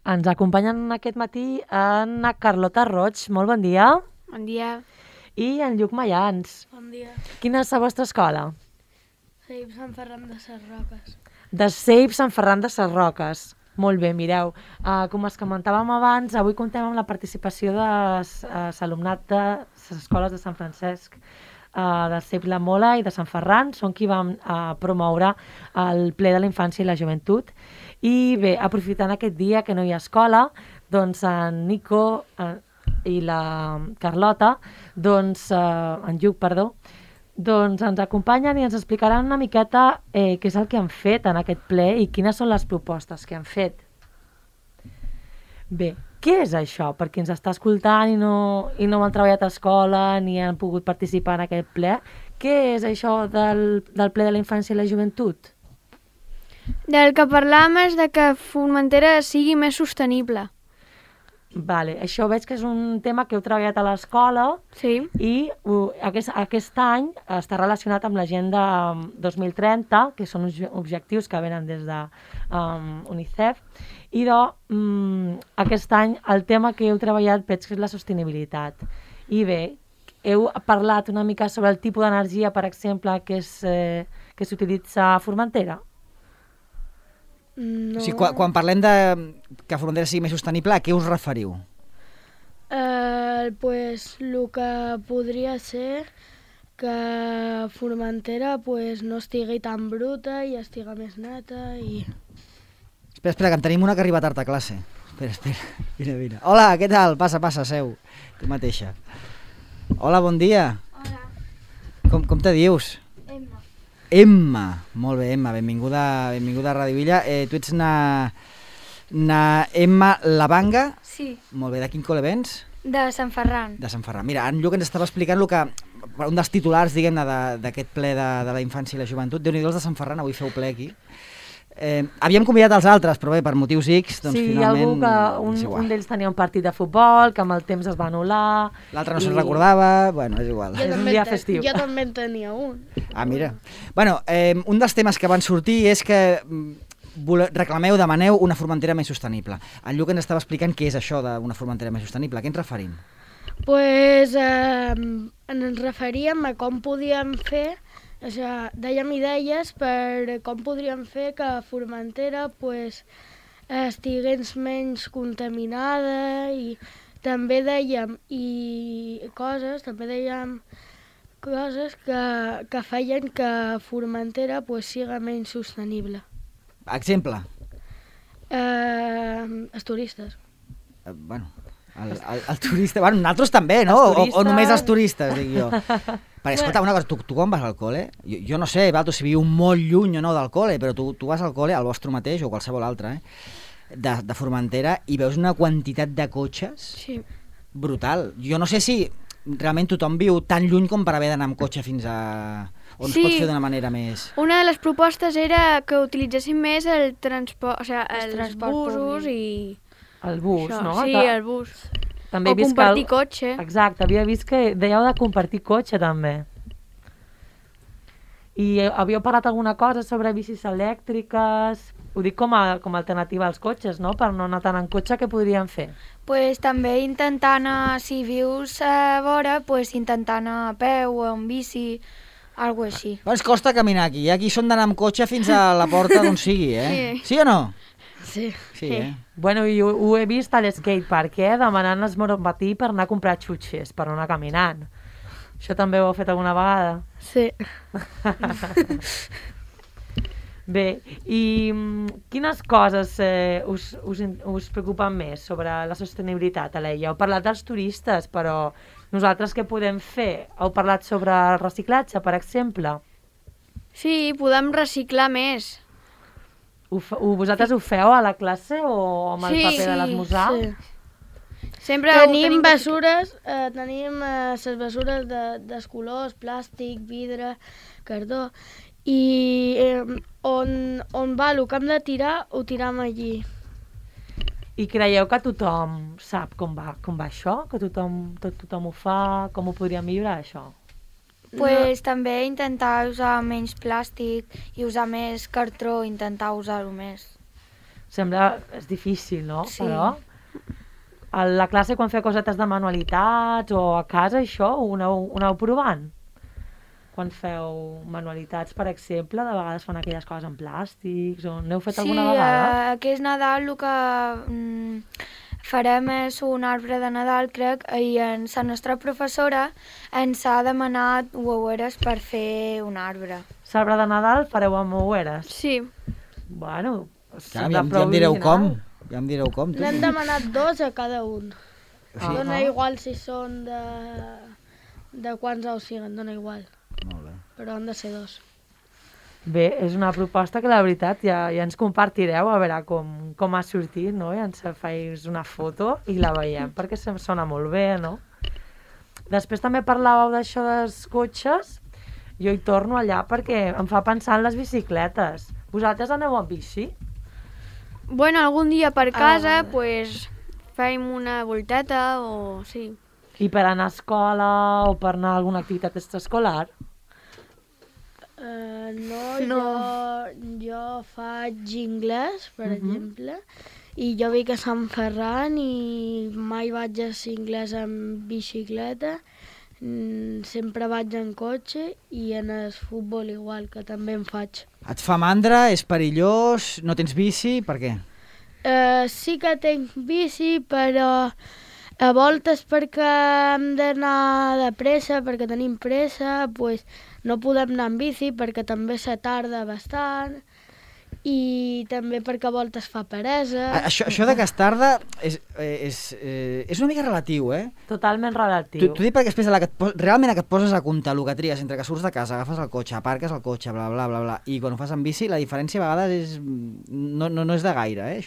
Ens acompanyen aquest matí en Carlota Roig. Molt bon dia. Bon dia. I en Lluc Mayans. Bon dia. Quina és la vostra escola? Ceip Sant Ferran de Ses Roques. De Ceip Sant Ferran de Ses Roques. Molt bé, mireu. Com es comentàvem abans, avui comptem amb la participació de l'alumnat de les escoles de Sant Francesc, de Ceip la Mola i de Sant Ferran. Són qui vam promoure el ple de la infància i la joventut. I bé, aprofitant aquest dia que no hi ha escola, doncs en Nico i la Carlota, doncs en Lluc, perdó, doncs ens acompanyen i ens explicaran una miqueta què és el que han fet en aquest ple i quines són les propostes que han fet. Bé, què és això? Per qui ens està escoltant i no han treballat a escola ni han pogut participar en aquest ple, què és això del ple de la infància i la joventut? Del que parlàvem és de que Formentera sigui més sostenible. Vale, això veig que és un tema que heu treballat a l'escola. Sí. I aquest any està relacionat amb l'Agenda 2030, que són uns objectius que venen des de UNICEF, i aquest any el tema que heu treballat veig que és la sostenibilitat. I bé, heu parlat una mica sobre el tipus d'energia, per exemple, que s'utilitza a Formentera? No. O sigui, quan parlem de que Formentera sigui més sostenible, a què us referiu? Pues el que podria ser que Formentera pues, no estigui tan bruta i estigui més neta i... Espera, que en tenim una que arriba tard a classe. Espera, vine. Hola, què tal? Passa, seu, tu mateixa. Hola, bon dia. Hola. Com te dius? Emma, molt bé, Emma, benvinguda a Ràdio Villa. Tu ets na Emma Lavanga? Sí. Molt bé, de quin col·le vens? De Sant Ferran. De Sant Ferran. Mira, en Lluc ens estava explicant un dels titulars, diguem-ne, d'aquest ple de la infància i la joventut. Déu-n'hi-do, els de Sant Ferran, avui feu ple aquí. Havíem convidat els altres, però bé, per motius X, doncs sí, finalment... Sí, hi ha algú que un d'ells tenia un partit de futbol, que amb el temps es va anul·lar... L'altre no se'n recordava, bueno, és igual. És un dia festiu. Jo també en tenia un. Ah, mira. Bueno, un dels temes que van sortir és que demaneu una Formentera més sostenible. En Lluc ens estava explicant què és això d'una Formentera més sostenible. A què ens referim? Pues ens referíem a com podíem fer... O sigui, dèiem idees per com podríem fer que Formentera pues, estigués menys contaminada i també dèiem coses que feien que Formentera pues, siga menys sostenible. Exemple? Els turistes. Bueno, el turista... Bueno, nosaltres també, no? O només els turistes, dic jo. Perquè, escolta, una cosa, tu quan vas al col·le, jo no sé, si viu molt lluny o no del col·le, però tu vas al col·le, al vostre mateix o qualsevol altre, de Formentera, i veus una quantitat de cotxes brutal. Jo no sé si realment tothom viu tan lluny com per haver d'anar amb cotxe fins a... on es pot fer d'una manera més... Una de les propostes era que utilitzessin més el transport, o sigui, els busos i... El bus, això, no? Sí, el bus. També o compartir cotxe. Exacte, havia vist que dèieu de compartir cotxe també. I havíeu parlat alguna cosa sobre bicis elèctriques? Ho dic com a alternativa als cotxes, no? Per no anar tant en cotxe, què podríem fer? Pues també intentar anar, si vius a vora, pues intentar anar a peu o en bici, alguna cosa així. Però ens costa caminar aquí, aquí són d'anar amb cotxe fins a la porta d'on sigui, Sí o no? Sí. Bueno, i ho he vist a l'skatepark, demanant esmoró al matí per anar a comprar xutxes, per no anar caminant. Això també ho heu fet alguna vegada? Sí. Bé, i quines coses us preocupen més sobre la sostenibilitat, Aleia? Heu parlat dels turistes, però nosaltres què podem fer? Heu parlat sobre el reciclatge, per exemple? Sí, podem reciclar més. Vosaltres ho feu a la classe o amb el paper de l'esmorzar? Sí. Sempre tenim bessures, tenim les bessures dels colors, plàstic, vidre, cartó, i on va el que hem de tirar, ho tiram allí. I creieu que tothom sap com va això? Que tothom ho fa? Com ho podríem millorar, això? Pues també intentar usar menys plàstic i usar més cartró, intentar usar-ho més. Sembla... és difícil, no? Sí. Però a la classe quan feu cosetes de manualitats o a casa això ho aneu provant? Quan feu manualitats, per exemple, de vegades fan aquelles coses en plàstics o n'heu fet alguna vegada? Sí, aquest Nadal el que farem és un arbre de Nadal, crec, i la nostra professora ens ha demanat uaueres per fer un arbre. L'arbre de Nadal fareu amb oueres? Sí. Bueno, Ja em direu com. Ja em direu com, tu. N'hem demanat 2 a cada un. Sí. Dona igual si són de quants ous siguen, dona igual. Molt bé. Però han de ser 2. Bé, és una proposta que la veritat ja ens compartireu a veure com ha sortit, no? I ens feis una foto i la veiem, perquè se'm sona molt bé, no? Després també parlàveu d'això dels cotxes. Jo hi torno allà perquè em fa pensar en les bicicletes. Vosaltres aneu amb bici? Bueno, algun dia per casa, pues, fem una volteta o... sí. I per anar a escola o per anar a alguna activitat extraescolar? No. Jo faig anglès, per exemple, i jo vic a Sant Ferran i mai vaig a anglès amb bicicleta, sempre vaig en cotxe i en el futbol igual, que també en faig. Et fa mandra, és perillós, no tens bici, per què? Sí que tinc bici, però a voltes perquè hem d'anar de pressa, perquè tenim pressa, pues no podem anar amb bici perquè també se tarda bastant i també perquè a voltes fa peresa. Això de que es tarda és una mica relatiu, eh? Totalment relatiu. T'ho dic perquè després realment que et poses a comptar el que tries entre que surts de casa, agafes el cotxe, aparques el cotxe, bla, bla, bla, bla, i quan ho fas amb bici la diferència a vegades no és de gaire, eh?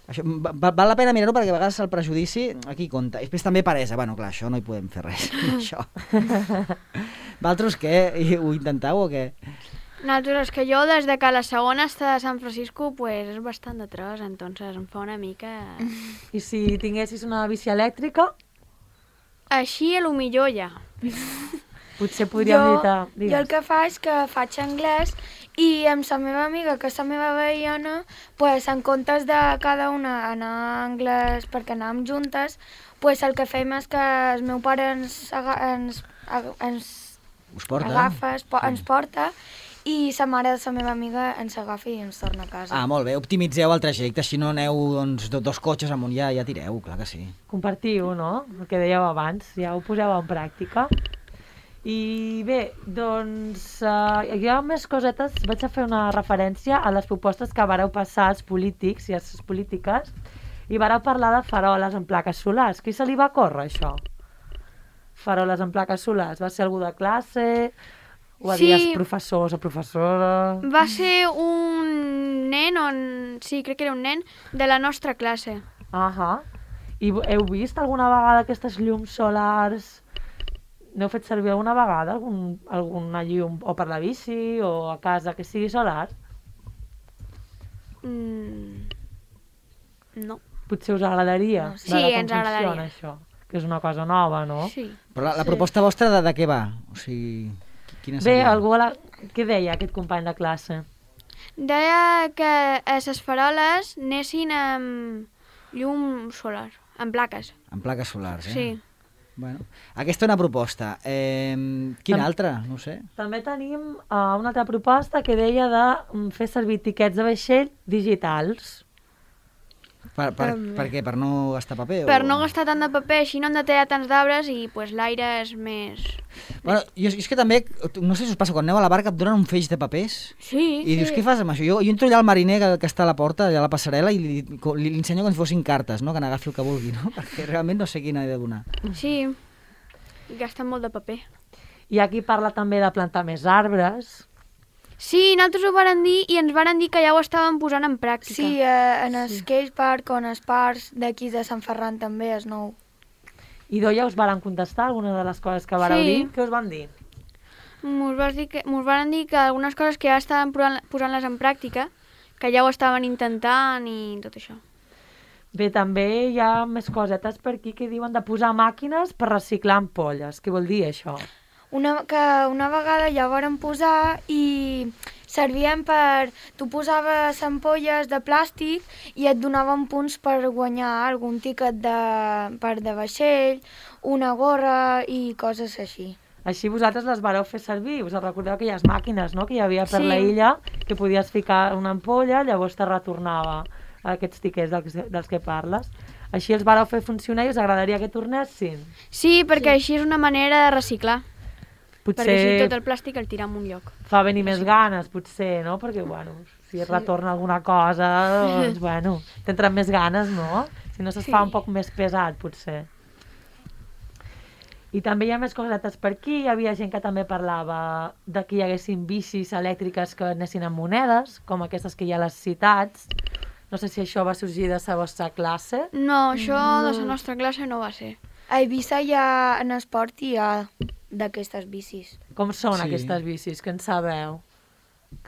Això val la pena mirar-ho perquè a vegades el prejudici aquí compta. I després també peresa. Bueno, clar, això no hi podem fer res. Això. Vosaltres què? Ho intentau o què? Nosaltres, que jo des de que la segona està a San Francisco, pues és bastant de tros, entonces em fa una mica... I si tinguessis una bici elèctrica, Així, a lo millor ja. potser podríem evitar... Jo el que faig és que faig anglès i amb la meva amiga, que és la meva veïna, pues, en comptes de cada una anar a anglès perquè anàvem juntes, pues, el que fem és que el meu pare ens Us porta? agafa, ens porta, i la mare de la meva amiga ens agafa i ens torna a casa. Ah, molt bé, optimitzeu el trajecte, així no aneu doncs, dos cotxes amunt, ja tireu, clar que sí. Compartiu, no? El que dèieu abans, ja ho poseu en pràctica. I bé, doncs, hi ha més cosetes. Vaig a fer una referència a les propostes que vareu passar als polítics i a les polítiques i vareu parlar de faroles en plaques solars. Qui se li va córrer, això? Faroles en plaques solars. Va ser algú de classe? Ho va dir els professors o professora? Va ser un nen, sí, crec que era un nen, de la nostra classe. Ahà. I heu vist alguna vegada aquestes llums solars? N'heu fet servir alguna vegada alguna llum o per la bici o a casa que sigui solar? No. Potser us agradaria? No, sí, ens agradaria. Això, que és una cosa nova, no? Sí. Però la proposta vostra de què va? O sigui, quina Bé, seria? què deia aquest company de classe? Deia que les faroles anessin amb llum solar, amb plaques. En plaques solars, eh? Sí. Bueno, aquesta és una proposta. Quina altra? No ho sé. També tenim una altra proposta que deia de fer servir tiquets de vaixell digitals. Per què? Per no gastar paper? Per no gastar tant de paper, així no hem de tallar tants d'arbres i pues, l'aire és més... Bueno, és que també, no sé si us passa, quan aneu a la barca et donen un feix de papers Sí. i dius, què fas amb això? Jo entro allà al mariner que està a la porta, allà a la passarel·la, i li ensenyo com si fossin cartes, no? Que n'agafi el que vulgui, no? Perquè realment no sé quina he de donar. Sí, gasten molt de paper. I aquí parla també de plantar més arbres. Sí, nosaltres ho varen dir i ens varen dir que ja ho estaven posant en pràctica. Sí, en el skate park o en els parcs d'aquí de Sant Ferran també és nou. I ja us varen contestar alguna de les coses que vareu dir? Què us van dir? Mos varen dir que algunes coses que ja estaven posant-les en pràctica, que ja ho estaven intentant i tot això. Bé, també hi ha més cosetes per aquí que diuen de posar màquines per reciclar ampolles. Què vol dir això? Que una vegada ja ho varen posar i servien per... Tu posaves ampolles de plàstic i et donaven punts per guanyar algun tiquet de vaixell, una gorra i coses així. Així vosaltres les vareu fer servir, us recordeu aquelles màquines, no?, que hi havia per la illa, que podies ficar una ampolla, llavors te retornava aquests tiquets dels que parles. Així els vareu fer funcionar i us agradaria que tornessin? Sí, perquè així és una manera de reciclar. Potser perquè així tot el plàstic el tiram a un lloc. fa venir més ganes, potser, no? Perquè, bueno, si es retorna alguna cosa, doncs, bueno, t'entren més ganes, no? Si no se'ls fa un poc més pesat, potser. I també hi ha més cosetes per aquí. Hi havia gent que també parlava de que hi haguessin bicis elèctriques que anessin amb monedes, com aquestes que hi ha a les ciutats. No sé si això va sorgir de la vostra classe. No, això de la nostra classe no va ser. A Eivissa en esport hi ha d'aquestes bicis. Com són aquestes bicis? Que en sabeu?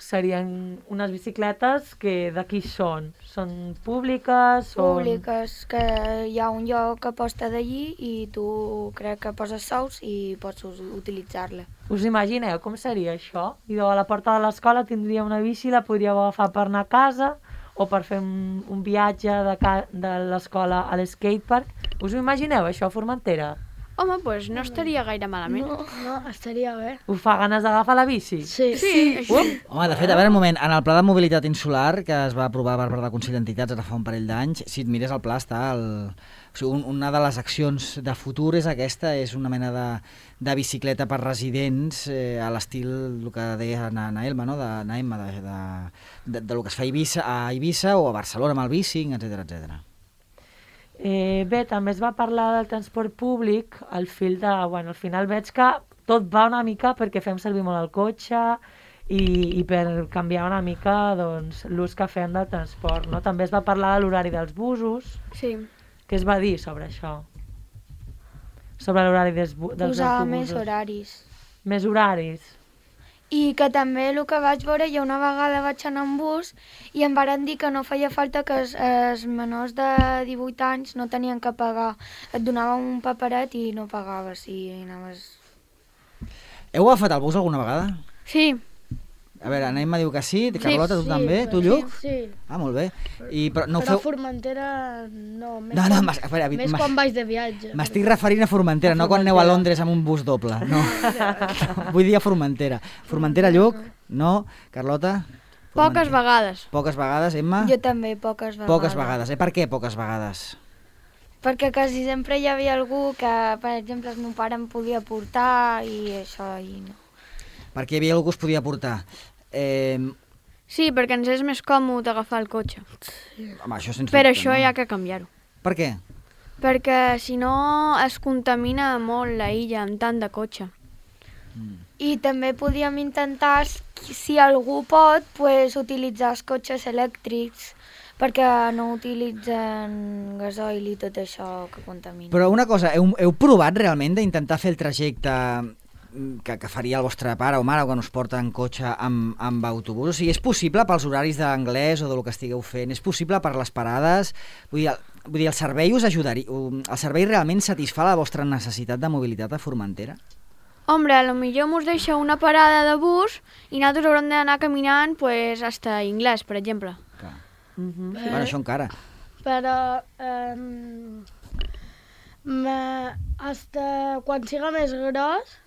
Serien unes bicicletes que d'aquí són? Són públiques? Públiques, que hi ha un lloc que posta d'allí i tu crec que poses sous i pots utilitzar-la. Us imagineu com seria això? I a la porta de l'escola tindria una bici, la podríeu agafar per anar a casa o per fer un viatge de l'escola a l'escatepark. Us ho imagineu, això, a Formentera? Home, doncs no estaria gaire malament. No, estaria bé. Us fa ganes d'agafar la bici? Sí. Home, de fet, a veure, un moment, en el pla de mobilitat insular que es va aprovar per part del Consell d'Entitats ara fa un parell d'anys, si et mires el pla està... O sigui, una de les accions de futur és aquesta, és una mena de bicicleta per residents a l'estil, el que deia Naelma, no? de lo que es fa a Eivissa o a Barcelona amb el bicing, etc. Bé, també es va parlar del transport públic, al final veig que tot va una mica perquè fem servir molt el cotxe i per canviar una mica doncs, l'ús que fem del transport. No? També es va parlar de l'horari dels busos. Sí. Què es va dir sobre això? Sobre l'horari dels autobusos? Posar més horaris. Més horaris. I que també el que vaig veure, jo una vegada vaig anar en bus i em varen dir que no feia falta que els menors de 18 anys no tenien que pagar. Et donaven un paperet i no pagaves i anaves... Heu agafat el bus alguna vegada? Sí. A veure, Naima diu que sí, Carlota, tu també? Tu, Lluc? Sí. Ah, molt bé. Però a Formentera no. Més quan vaig de viatge. M'estic referint a Formentera, no quan aneu a Londres amb un bus doble. No. Vull dir a Formentera. Formentera, Lluc? No? Carlota? Poques vegades. Poques vegades, Emma? Jo també, poques vegades. Poques vegades. Per què poques vegades? Perquè quasi sempre hi havia algú que, per exemple, el meu pare em podia portar i això, i no. Perquè hi havia algú que us podia portar. Sí, perquè ens és més còmode agafar el cotxe. Home, això sense Per dubte, això no? hi ha que canviar-ho. Per què? Perquè si no es contamina molt la illa amb tant de cotxe. I també podíem intentar, si algú pot, pues, utilitzar els cotxes elèctrics perquè no utilitzen gasoil i tot això que contamina. Però una cosa, heu provat realment d'intentar fer el trajecte que faria el vostre pare o mare quan us porta en cotxe amb autobús? O sigui, és possible pels horaris d'anglès o del que estigueu fent? És possible per les parades? Vull dir, el servei us ajudaria? El servei realment satisfà la vostra necessitat de mobilitat a Formentera? Hombre, potser mos deixa una parada de bus i nosaltres haurem d'anar caminant pues, hasta Inglés, per exemple. Clar. Bueno, això encara. Però hasta quan siga més gros,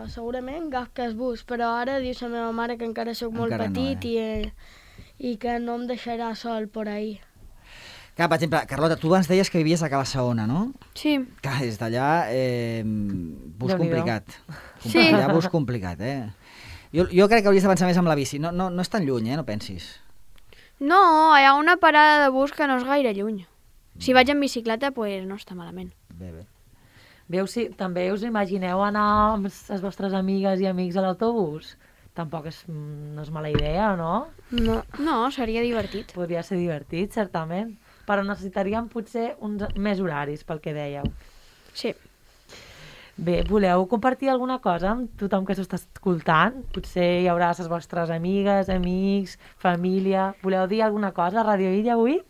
segurament agafo el bus, però ara diu la meva mare que encara sóc molt petit i que no em deixarà sol por ahí. Clar, per exemple, Carlota, tu abans deies que vivies a Cala Saona, no? Sí. Clar, des d'allà, bus complicat. Sí. Allà bus complicat, Jo crec que hauries de pensar més amb la bici. No és tan lluny, no pensis? No, hi ha una parada de bus que no és gaire lluny. Si vaig en bicicleta, pues no està malament. Bé. També us imagineu anar amb les vostres amigues i amics a l'autobús? Tampoc no és mala idea, no? No, seria divertit. Podria ser divertit, certament. Però necessitaríem potser més horaris, pel que dèieu. Sí. Bé, voleu compartir alguna cosa amb tothom que s'ho està escoltant? Potser hi haurà les vostres amigues, amics, família... Voleu dir alguna cosa a Radio Illa avui?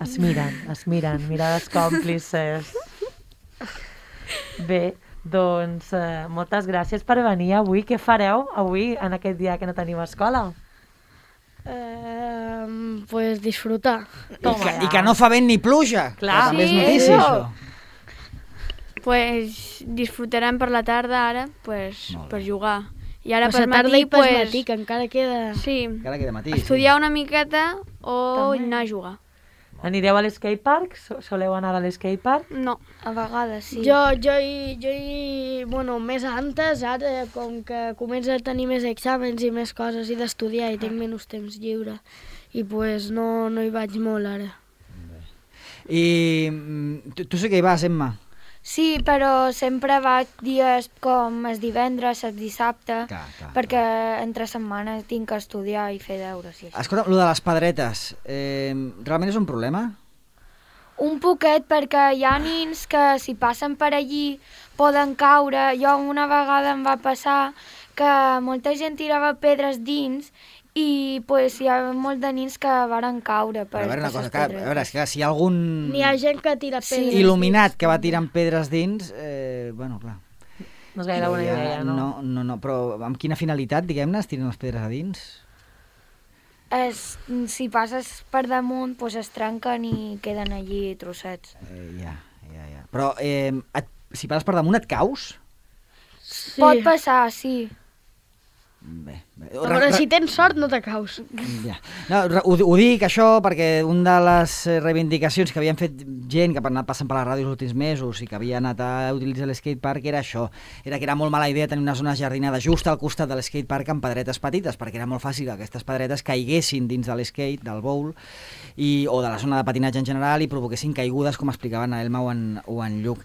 Es miren, mirades còmplices. Bé, Doncs moltes gràcies per venir avui. Què fareu avui, en aquest dia que no teniu escola? Pues disfrutar. I que no fa vent ni pluja. Clar. Que també és Sí, notícia, eso. això. Pues disfrutarem per la tarda ara, pues, Molt bé. per jugar. I ara Pues per a tarda matí, i per pues, matí, que encara queda... sí, Encara queda matí. estudiar una miqueta o També. anar a jugar. Anireu a l'skatepark? Soleu anar a l'skatepark? No. A vegades sí. Bueno, més antes, ara, com que comença a tenir més exàmens i més coses i d'estudiar i tinc menys temps lliure. I pues no hi vaig molt ara. I tu sí que hi vas, Emma? Sí, però sempre vaig dies com el divendres, el dissabte, Clar. perquè entre setmanes tinc que estudiar i fer deures i això. Escolta, lo de les pedretes, realment és un problema? Un poquet, perquè hi ha nins que si passen per allí poden caure. Jo una vegada em va passar que molta gent tirava pedres dins i pues, hi ha molt de nins que varen caure per A veure, una per cosa, les que, a pedretes. veure, és que si hi ha algun N'hi ha gent que tira Sí. pedres. il·luminat que va tirant pedres dins, bueno, clar. No és gaire bona idea, no? No, però amb quina finalitat, diguem-ne, es tiren les pedres a dins? Si passes per damunt, pues, es trenquen i queden allí trossets. Ja. Però si passes per damunt et caus? Sí. Pot passar, sí. Bé. A veure, si tens sort no te caus. Ja. No, ho dic això perquè una de les reivindicacions que havien fet gent que ha anat passant per la ràdio els últims mesos i que havia anat a utilitzar l'skatepark era això, era que era molt mala idea tenir una zona jardinada just al costat de l'skatepark amb pedretes petites, perquè era molt fàcil que aquestes pedretes caiguessin dins de l'skate, del bowl, o de la zona de patinatge en general i provoquessin caigudes, com explicaven a Elma o en Lluc.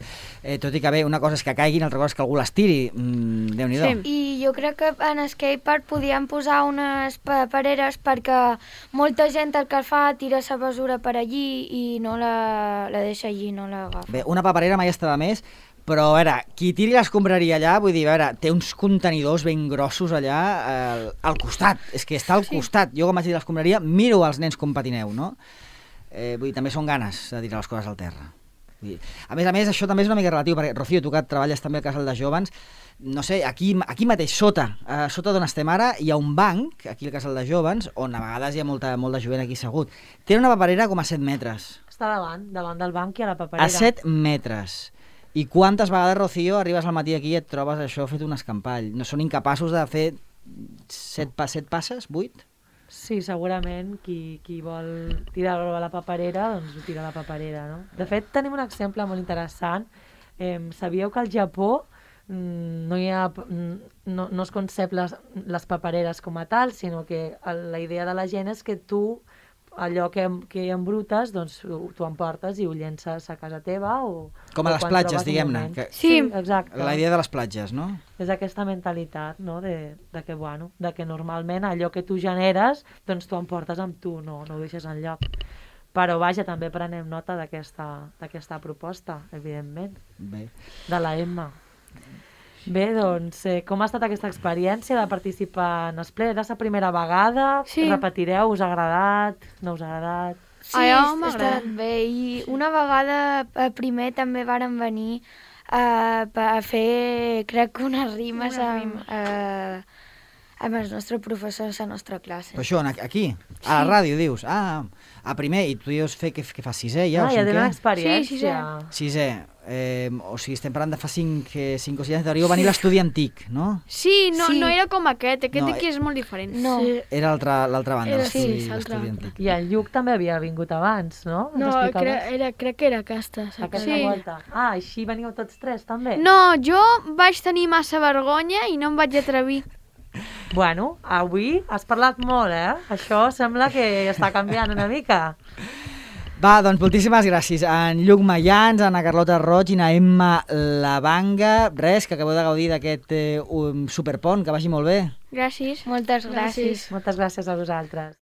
Tot i que bé, una cosa és que caiguin, altra cosa és que algú les tiri. Déu-n'hi-do. Sí. I jo crec que en skatepark podíem posar unes papereres perquè molta gent el que fa tira la basura per allí i no la deixa allí, no l'agafa. Bé, una paperera mai està de més, però a veure, qui tiri l'escombraria allà, vull dir, a veure, té uns contenidors ben grossos allà al costat, és que està al costat. Jo quan vaig tirar l'escombraria miro els nens com patineu, no? Vull dir, també són ganes de tirar les coses al terra. Vull dir, a més, això també és una mica relatiu, perquè, Rocío, tu que treballes també al casal de jóvens, no sé, aquí mateix, sota d'on estem ara, hi ha un banc, aquí al casal de jóvens, on a vegades hi ha molt de jovent aquí assegut. Té una paperera com a 7 metres. Està davant del banc i a la paperera. A 7 metres. I quantes vegades, Rocío, arribes al matí aquí i et trobes això fet un escampall? No són incapaços de fer 7 passes? 8? Sí, segurament qui vol tirar-ho a la paperera, doncs ho tira a la paperera, no? De fet, tenim un exemple molt interessant. Sabíeu que al Japó no es concep les papereres com a tal, sinó que la idea de la gent és que tu allò que embrutes, doncs tu emportes i ho llences a casa teva o... Com a les platges, diguem-ne. Sí, exacte. La idea de les platges, no? És aquesta mentalitat, no?, de que normalment allò que tu generes, doncs tu emportes amb tu, no ho deixes enlloc. Però vaja, també prenem nota d'aquesta proposta, evidentment, Bé. de la Emma. Bé, doncs, com ha estat aquesta experiència de participar en el ple? Era la primera vegada? Sí. Repetireu? Us ha agradat? No us ha agradat? Sí, Allò m'ha està agradat. bé. I una vegada primer també varen venir a fer, crec que unes rimes amb el nostre professor de la nostra classe. Però això, aquí? A la ràdio, dius? A primer, i tu dius què fas, sisè ja? Ja tenen o experiència. sisè. O sigui, estem parlant de fa 5 o 6 anys, hauríeu venir l'estudi antic, no? Sí, no Sí. era com aquest No, aquí és molt diferent. No, Sí. Era l'altra banda, Era l'estudi sí, l'altra l'estudi banda. antic. I el Lluc també havia vingut abans, no? No, Ens explicaves? crec que era aquesta. Aquesta Sí. volta. Així veniu tots tres, també? No, jo vaig tenir massa vergonya i no em vaig atrevir. Bueno, avui has parlat molt, Això sembla que està canviant una mica. Va, doncs moltíssimes gràcies a en Lluc Mayans, a Ana Carlota Roig i a Emma Lavanga. Res, que acabeu de gaudir d'aquest superpont, que vagi molt bé. Gràcies. moltes gràcies. Moltes gràcies a vosaltres.